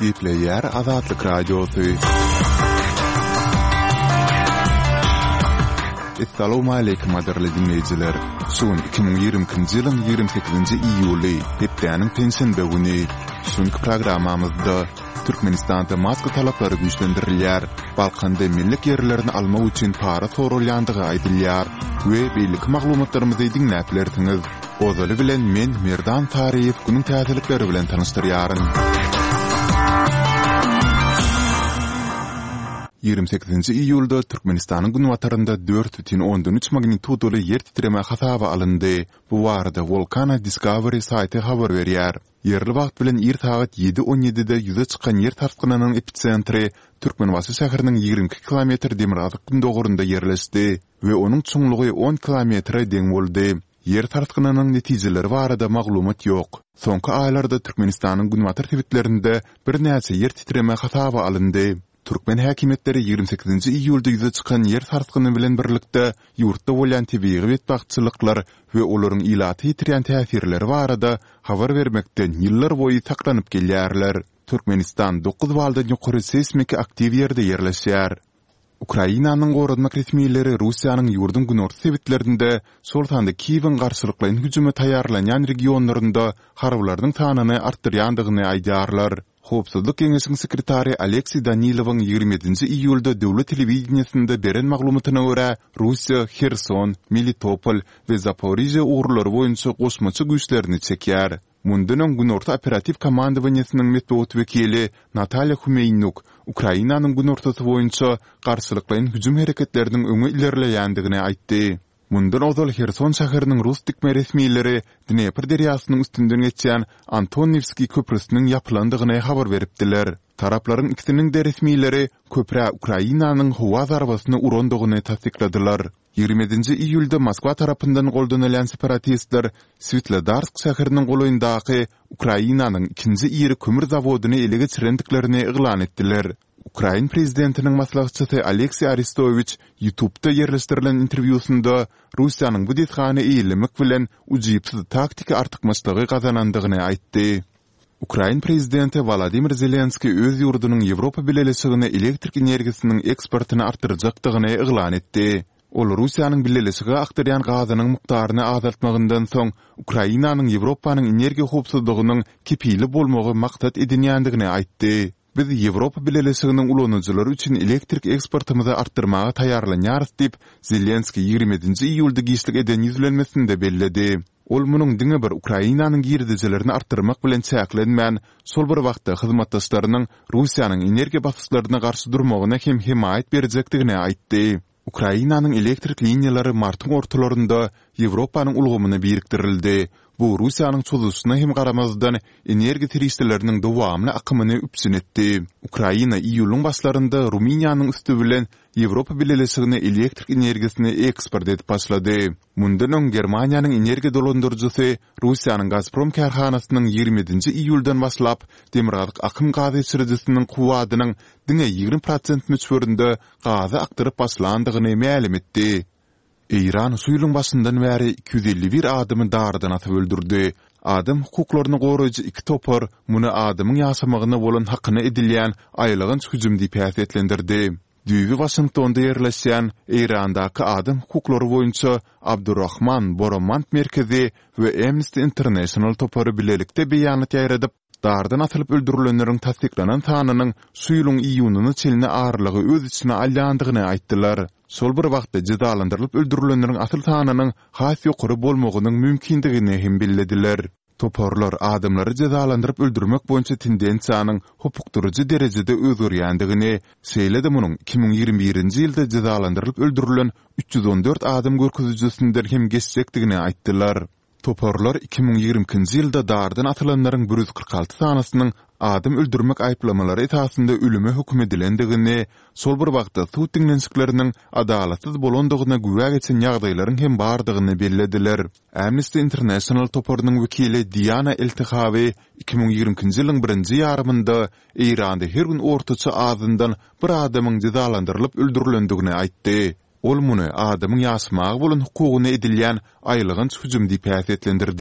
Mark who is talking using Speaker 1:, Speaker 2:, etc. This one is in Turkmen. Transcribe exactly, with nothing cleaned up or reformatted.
Speaker 1: Gepleýär Azatlyk Radiosy. Essalawmaleýkim gadyrly diňleýjiler! Şu gün iki müň ýigrimi ikinji ýylyň ýigrimi sekizinji iýuly, hepdäniň penşenbe güni. Şu günki programmamyzda Türkmenistanda maska talaplary güýçlendirilýär, Balkanda mellek ýerlerini almak üçin para soralýandygy aýdylýar we beýleki maglumatlarymyzy diňläp bilersiňiz. Ozaly bilen men Merdan Saryýew günüň täzelikleri bilen tanyşdyrýaryn. Ýigrimi sekizinji iýulda Türkmenistanyň günbatarynda dört bütin ondan üç magnitudaly ýer titreme hasaba alyndy. Bu barada Volcano Discovery saýty habar berýär. Ýerli wagt bilen ir sagat ýedi on ýedide ýüze çykan ýer sarsgynynyň episentri Türkmenbaşy şäheriniň ýigrimi iki kilometr demirgazyk-gündogarynda ýerleşdi we onuň çuňlugy on kilometre deň boldy. Ýer sarsgynynyň netijeleri barada maglumat ýok. Soňky aýlarda Türkmenistanyň günbatar sebitlerinde birnäçe ýer titreme hasaba alyndy. Türkmen häkimiýetleri ýigrimi sekizinji iýulda ýüze çykan ýer sarsgyny bilen birlikde ýurtda bolýan tebigy betbagtçylyklar we olaryň ilata ýetirýän täsirleri barada habar bermekden ýyllarboýy saklanyp gelýärler. Türkmenistan dokuz baldan ýokary seýsmiki aktiw ýerde ýerleşýär. Ukrainanyň goranmak resmileri Russiýanyň ýurduň günorta sebitlerinde, şol sanda Kiýewiň garşylyklaýyn hüjüme taýýarlanýan regionlarynda harbylarynyň sanyny artdyrýandygyny aýdýarlar. Howpsuzlyk geňeşiň sekretary Alekseý Danilowyň ýigrimi ýedinji iýulda döwlet telewideniýesinde beren maglumatyna görä, Russiýa Herson, Melitopol we Zaporižýa ugurlary boýunça goşmaça güýçlerini çekýär. Mundan öň Günorta operatiw komandowaniýesiniň metbugat wekili Natalýa Humeýnuk Ukrainanyň günortasy boýunça garşylyklaýyn hüjüm hereketleriniň öňe ilerleýändigini aýtdy. Mundan ozal Herson şäheriniň rus dikme resmileri Dnepr derýasynyň üstünden geçýän Antoniwskiý köprüsiniň ýapylandygyny habar beripdiler. Taraplaryň ikisiniň-de resmileri köprä Ukrainanyň howa zarbasyny urandygyny tassykladylar. Ýigrimi ýedinji iýulda Moskwa tarapyndan goldanylýan separatistler Switlodarsk şäheriniň golaýyndaky Ukrainanyň ikinji iri kömür zawodyny ele geçirendiklerini yglan etdiler. Ukrain prezidentiniň maslahatçysy Alekseý Arestowiç YouTubda ýerleşdirilen interwýusynda Russiýanyň bu desgany eýelemek bilen ujypsyz taktiki artykmaçlygy gazanandygyny aýtdy. Ukrain prezidenti Wolodymyr Zelenskiý öz ýurdunyň Ýewropa Bileleşigine elektrik energiýasynyň eksportyny artdyrjakdygyny yglan etdi. Ol Russiýanyň Bileleşige akdyrýan gazynyň mukdaryny azaltmagyndan soň Ukrainanyň Ýewropanyň energiýa howpsuzlygynyň kepili bolmagy maksat edinýändigini aýtdy. Biz Ýewropa Bileleşiginiň ulanyjylary üçin elektrik eksportymyzy artdyrmaga taýýarlanýarys diýip, Zelenskiý ýigrimi ýedinji iýulda giçlik eden ýüzlenmesinde belledi. Ol munuň diňe bir Ukrainanyň girdejilerini artdyrmak bilen çäklenmän, şol bir wagtda hyzmatdaşlarynyň Russiýanyň energiýa basyşlaryna garşy durmagyna hem hemaýat berjekdigini aýtdy. Ukrainanyň elektrik liniýalary martyň ortalarynda Ýewropanyň ulgamyna birikdirildi. Bu Russiýanyň çozuşyna hem garamazdan, energiýa serişdeleriniň dowamly akymyny üpjün etdi. Ukraina iýulyň başlarynda Rumyniýanyň üsti bilen Ýewropa Bileleşigine elektrik energiýasyny eksport edip başlady. Mundan öň Germaniýanyň energiýa dolandyryjysy Russiýanyň Gazprom kärhanasynyň ýigrimi ýedinji iýuldan başlap Demirgazyk akym gaz geçirijisiniň kuwwadynyň diňe ýigrimi prosent möçberinde gazy akdyryp başlandygyny mälim etdi. Eýran şu ýylyň başyndan bäri iki ýüz elli bir adamy dardan asyp öldürdi. Adam hukuklaryny goraýjy iki topar muny adamyň ýaşamagyna bolan hakyna edilýän aýylganç hüjüm diýip häsiýetlendirdi. Düýbi Waşingtonda ýerleşýän Eýrandaky adam hukuklary boýunça Abdurrahman Boromand merkezi we Amnesty International topary bilelikde beýanat ýaýradyp, Dardan asylyp öldürilenleriň tassyklanan sanynyň şu ýylyň iýunyna çenli aralygy öz içine alýandygyny aýtdylar. Şol bir wagtda jezalandyrylyp öldürilenleriň asyl sanynyň has ýokary bolmagynyň mümkindigini hem bellediler. Toparlar adamlary jezalandyryp öldürmek boýunça tendensiýanyň hopukdyryjy derejede özgerýändigini, şeýle-de munuň iki müň ýigrimi birinji ýylda jezalandyrylyp öldürilen üç ýüz on dört adam görkezijisinden hem geçjekdigini aýtdylar. Toparlar iki müň ýigrimi ikinji ýylda dardan asylanlaryň bir ýüz kyrk alty sanysynyň adam öldürmek aýyplamalary esasynda ölüme höküm edilendigini, şol bir wagtda sud diňlenişikleriniň adalatsyz bolandygyna güwä geçen ýagdaýlaryň hem bardygyny bellediler. Amnesty International toparynyň wekili Diana Eltehawi iki müň ýigrimi ikinji ýylyň birinji ýarymynda Eýranda her gün ortaça azyndan bir adamyň jezalandyrylyp öldürilendigini aýtdy. Ol muny adamyň ýaşamaga bolan hukugyna edilýän aýylganç hüjüm diýip häsiýetlendirdi.